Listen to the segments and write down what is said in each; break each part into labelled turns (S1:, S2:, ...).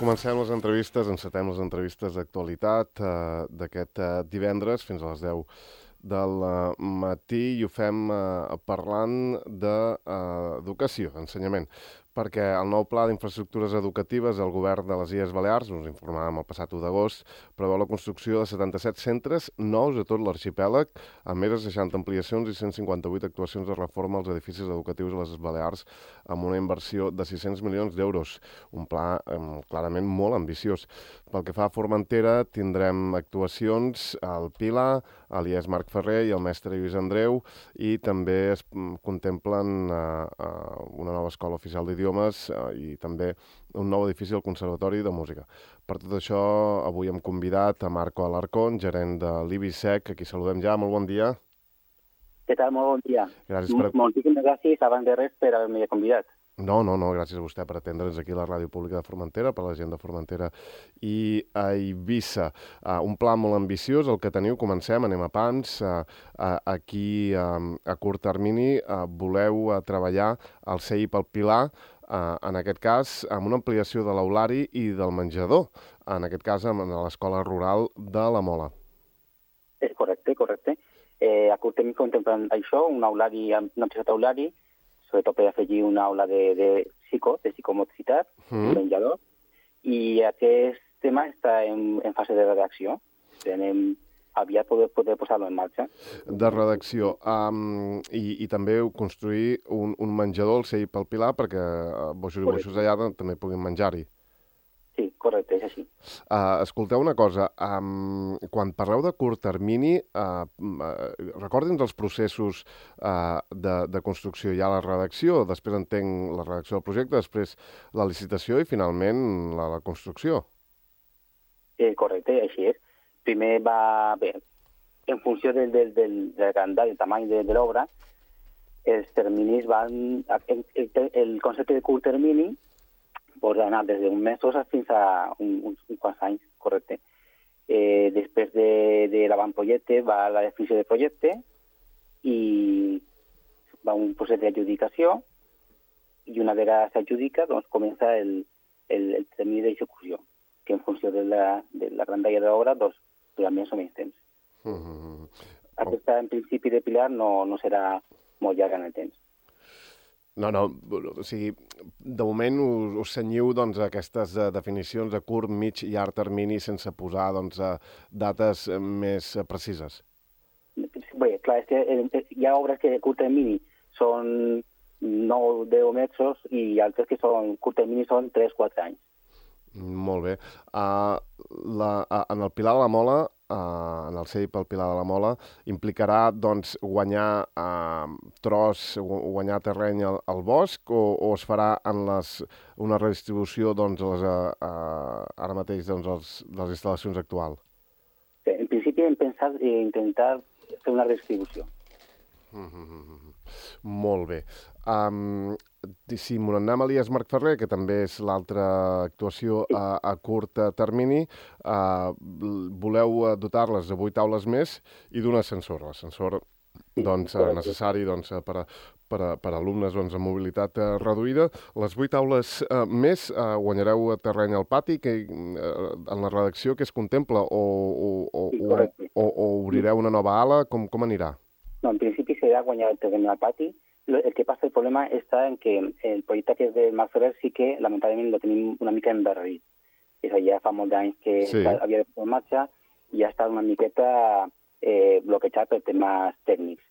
S1: Comencem les entrevistes, encetem les entrevistes d'actualitat d'aquest divendres fins a les 10 del matí i ho fem parlant d'educació, ensenyament, perquè el nou Pla d'Infraestructures Educatives del Govern de les Illes Balears, us informàvem el passat 1 d'agost, preveu la construcció de 77 centres nous a tot l'arxipèlag, amb més de 60 ampliacions i 158 actuacions de reforma als edificis educatius a les Balears, amb una inversió de 600 milions d'euros. Un pla clarament molt ambiciós. Pel que fa a Formentera, tindrem actuacions al Pilar, a l'IES Marc Ferrer i al Mestre Lluís Andreu, i també es contemplen una nova escola oficial d'idiomes i també un nou edifici al Conservatori de Música. Per tot això, avui hem convidat a Marco Alarcón, gerent de l'IBISEC, a qui saludem ja. Molt bon dia.
S2: Què tal? Molt bon dia.
S1: Gràcies
S2: Moltíssimes gràcies, abans de res, per haver-me convidat.
S1: No, gràcies a vostè per atendre'ns aquí a la Ràdio Pública de Formentera, per la gent de Formentera i a Eivissa. Un pla molt ambiciós, el que teniu, comencem, anem a pams. Aquí, a curt termini, voleu treballar al CEI pel Pilar, en aquest cas, amb una ampliació de l'aulari i del menjador, en aquest cas, a l'escola rural de la Mola.
S2: És correcte. A curt termini contemplem això, una ampliació d'aulari, sobretot per afegir una aula de psicomotricitat, un menjador, i aquest tema està en fase de redacció. Anem aviat poder posar-lo en marxa.
S1: De redacció. I també construir un menjador al CEI pel Pilar perquè boixos i boixos allà també puguin menjar-hi.
S2: Sí, correcte, és així.
S1: Escolteu una cosa, quan parleu de curt termini, recordin els processos de construcció. Hi ha la redacció, després entenc la redacció del projecte, després la licitació i finalment la construcció.
S2: Correcte, així és. Primer en funció del grandària, del tamany de l'obra, els terminis van... El concepte de curt termini pot anar des d'un mesos fins a uns quants anys, correcte. Després de l'avantprojecte va la definició del projecte i va un procés d'adjudicació i una vegada s'adjudica doncs comença el termini d'execució, que en funció de la grandària de l'obra doncs durant més o menys temps. Aquesta, en principi, de Pilar no serà molt llarga en el temps.
S1: No, o sigui, de moment us cenyiu a aquestes definicions de curt, mig i llarg termini sense posar dates més precises.
S2: Bé, clar, és que hi ha obres que de curt termini són 9-10 mesos i altres que són curt termini són 3-4 anys.
S1: Molt bé. En el Pilar de la Mola, en el CEI pel Pilar de la Mola, implicarà guanyar guanyar terreny al bosc o es farà en una redistribució ara mateix de les instal·lacions actuals?
S2: En principi hem pensat intentar fer una redistribució.
S1: Molt bé. Si m'ho anem a l'IES Marc Ferrer, que també és l'altra actuació a curt termini, voleu dotar-les de 8 aules més i d'un ascensor. L'ascensor necessari per a alumnes amb mobilitat reduïda. Les 8 aules més guanyareu terreny al pati, que en la redacció que es contempla, o obrireu una nova ala? Com anirà?
S2: No, en principi serà guanyar el terreny al pati. El que passa, el problema està en que el projecte que és del Marc Ferrer sí que, lamentablement, lo tenim una mica endarrerit. És a dir, ja fa molts anys que havia de posar en marxa i ha estat una miqueta bloquejat per temes tècnics.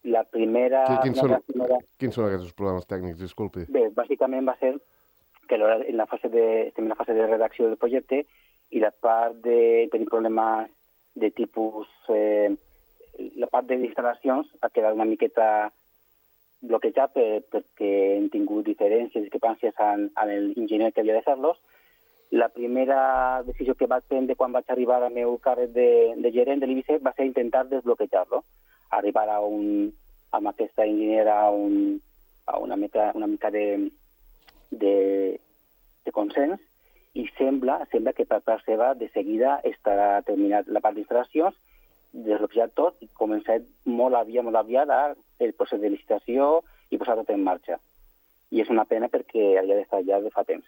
S2: La primera...
S1: Quins són aquests problemes tècnics? Disculpi.
S2: Bé, bàsicament va ser que estem en la fase de redacció del projecte i la part de tenir problemes de tipus... la part de instal·lacions ha quedat una miqueta bloquejat perquè hem tingut diferències i discrepàncies amb l'enginyer que havia de fer-los. La primera decisió que vaig prendre quan vaig arribar al meu càrrec de gerent de l'IBISEC va ser intentar desbloquejar-lo, arribar amb aquesta enginyera a una mica de consens i sembla que per part seva de seguida estarà terminat la part d'instal·lacions, desbloquejat tot i començat molt aviat el procés de licitació i posar tot en marxa. I és una pena perquè havia d'estar ja de fa temps.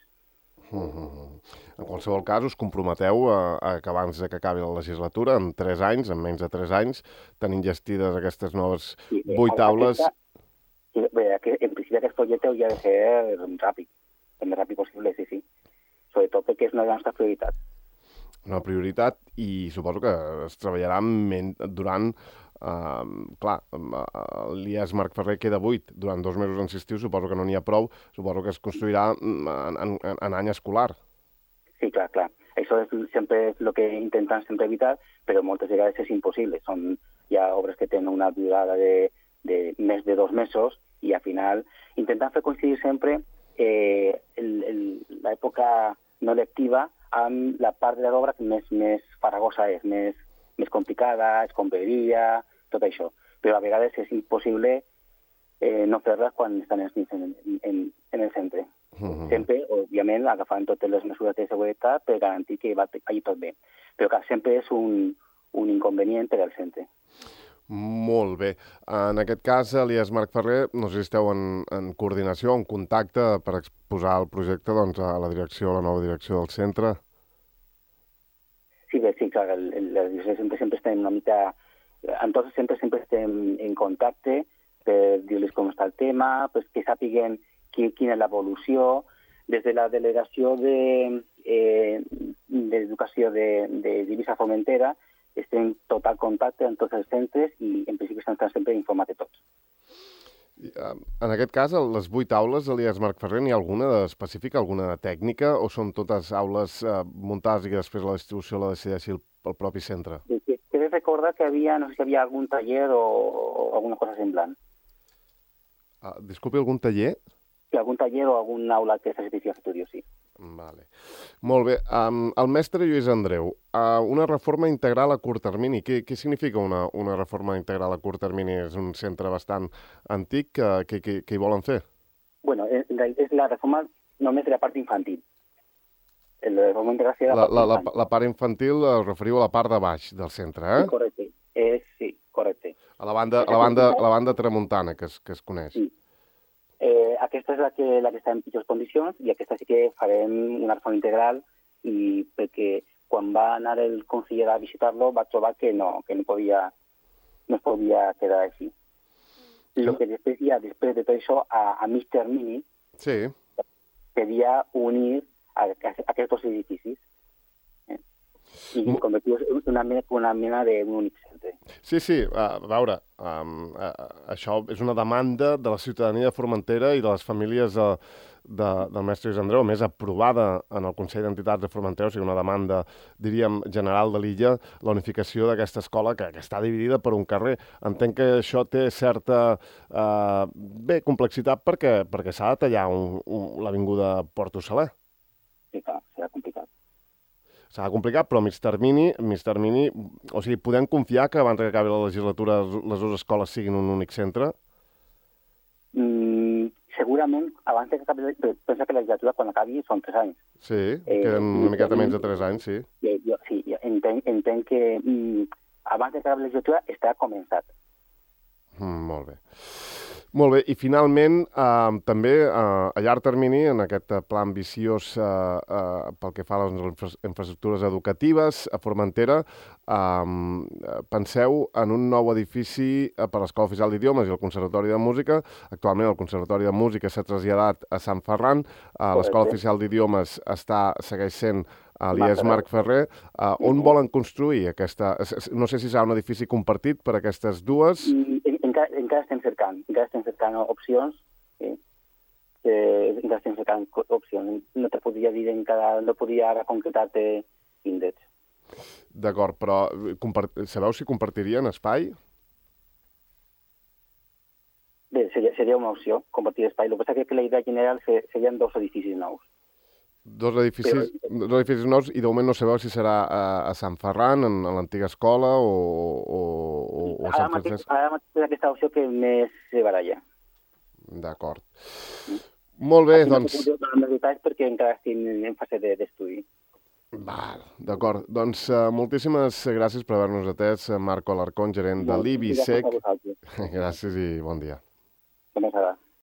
S1: En qualsevol cas, us comprometeu a que abans que acabi la legislatura, en 3 anys, en menys de 3 anys, tenint gestides aquestes noves 8 aules...
S2: En principi aquest projecte hauria de ser ràpid, el més ràpid possible, sí. Sobretot perquè és una de les nostres prioritats.
S1: Una prioritat, i suposo que es treballarà durant... clar, l'IES Marc Ferrer queda buit durant 2 mesos en estiu, suposo que no n'hi ha prou, suposo que es construirà en any escolar.
S2: Sí, clar. Això sempre és el que intenten sempre evitar, però moltes vegades és impossible. Hi ha obres que tenen una durada de més de 2 mesos i al final intentant fer coincidir sempre l'època no lectiva amb la part de l'obra que més farragosa és, més complicada, escombraria, tot això. Però a vegades és impossible no fer-les quan estan els nens en el centre. Sempre, òbviament, agafant totes les mesures de seguretat per garantir que vagi tot bé. Però que sempre és un inconvenient per al centre.
S1: Molt bé. En aquest cas, l'IES Marc Ferrer, no sé si esteu en coordinació, en contacte per exposar el projecte a la nova direcció del centre.
S2: Sí, clar, les direccions sempre estem una mica... Amb tots sempre estem en contacte per dir-los com està el tema, que sàpiguen quina és l'evolució. Des de la delegació d'Educació d'Eivissa Formentera estem en total contacte amb tots els centres i en principi estan sempre informats de tots.
S1: En aquest cas, les 8 aules de l'IES Marc Ferrer, n'hi ha alguna específica, alguna tècnica, o són totes aules muntades i que després la distribució la decideixi el propi centre?
S2: Crec recordar que no sé si hi havia algun taller o alguna cosa semblant.
S1: Disculpi, algun taller?
S2: Sí, algun taller o algun aula que se servicia a estudios, sí.
S1: Vale. Molt bé. El mestre Lluís Andreu, una reforma integral a curt termini. Què significa una reforma integral a curt termini? És un centre bastant antic. Què hi volen fer?
S2: Bueno, és la reforma només de la part infantil. La reforma integral seria
S1: la part infantil us referiu a la part de baix del centre, eh?
S2: Sí, correcte. Sí, correcte.
S1: A la banda tramuntana, que es coneix.
S2: Sí. Aquesta és la que està en pitjors condicions i aquesta sí que farem una reforma integral i perquè quan va anar el conseller a visitar-lo va trobar que no es podia quedar així. El que després de tot això, a mig termini, seria unir aquests dos edificis i convertir-los en una mena d'un únic centre.
S1: Sí, a veure, això és una demanda de la ciutadania de Formentera i de les famílies del mestre Lluís Andreu, més aprovada en el Consell d'Entitats de Formentera, o sigui, una demanda, diríem, general de l'illa, la unificació d'aquesta escola que està dividida per un carrer. Entenc que això té certa complexitat perquè s'ha de tallar l'avinguda Porto Saler.
S2: Sí, clar, serà complicat.
S1: S'ha de complicar, però a mig termini, o sigui, podem confiar que abans que acabi la legislatura les dues escoles siguin un únic centre?
S2: Segurament, abans que acabi, pensa que la legislatura quan acabi són 3 anys.
S1: Sí, queden una miqueta menys de 3 anys, sí.
S2: Sí, entenc que abans que acabi la legislatura està començat.
S1: Molt bé. Molt bé, i finalment, també a llarg termini, en aquest pla ambiciós pel que fa a les infraestructures educatives a Formentera, penseu en un nou edifici per a l'Escola Oficial d'Idiomes i el Conservatori de Música. Actualment el Conservatori de Música s'ha traslladat a Sant Ferran, l'Escola Oficial d'Idiomes segueix sent a l'IES Marc Ferrer. On volen construir aquesta? No sé si serà un edifici compartit per aquestes dues.
S2: Encara estem cercant opcions. Encara estem cercant opcions. No te podria dir no podria ara concretar-te índexs.
S1: D'acord, però sabeu si compartirien espai?
S2: Bé, seria una opció, compartir espai. El que passa és que la idea general serien 2 edificis nous.
S1: Dos edificis nous, i de moment no sabeu si serà a Sant Ferran, en l'antiga escola, o a Sant Francesc?
S2: Ara mateix és aquesta opció que més se baralla.
S1: D'acord. Molt bé, doncs...
S2: No puc donar més detalls perquè encara estic en fase d'estudi.
S1: D'acord. Doncs moltíssimes gràcies per haver-nos atès, Marco Alarcón, gerent de l'IBISEC.
S2: Gràcies a vosaltres.
S1: Gràcies i bon dia.
S2: Com és ara?